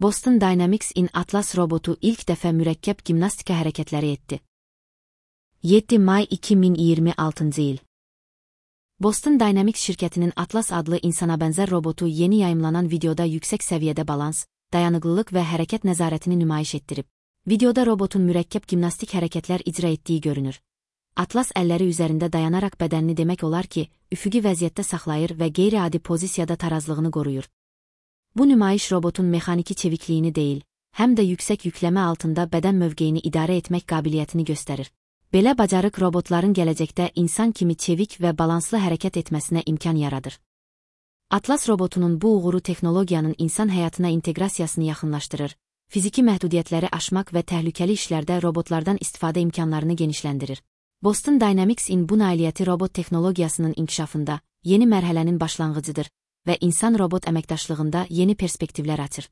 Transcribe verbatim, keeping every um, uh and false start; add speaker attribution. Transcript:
Speaker 1: Boston Dynamics-in Atlas robotu ilk dəfə mürəkkəb gimnastika hərəkətləri etdi. yeddi may iki min iyirmi altıncı il. Boston Dynamics şirkətinin Atlas adlı insanabənzər robotu yeni yayımlanan videoda yüksək səviyyədə balans, dayanıqlılıq və hərəkət nəzarətini nümayiş etdirib. Videoda robotun mürəkkəb gimnastik hərəkətlər icra etdiyi görünür. Atlas əlləri üzərində dayanaraq bədənini demək olar ki, üfüqi vəziyyətdə saxlayır və qeyri-adi pozisiyada tarazlığını qoruyur. Bu nümayiş robotun mexaniki çevikliyini deyil, həm də yüksək yükləmə altında bədən mövqeyini idarə etmək qabiliyyətini göstərir. Belə bacarıq robotların gələcəkdə insan kimi çevik və balanslı hərəkət etməsinə imkan yaradır. Atlas robotunun bu uğuru texnologiyanın insan həyatına inteqrasiyasını yaxınlaşdırır, fiziki məhdudiyyətləri aşmaq və təhlükəli işlərdə robotlardan istifadə imkanlarını genişləndirir. Boston Dynamics-in bu nailiyyəti robot texnologiyasının inkişafında yeni mərhələnin başlanğıcıdır və insan-robot əməkdaşlığında yeni perspektivlər açır.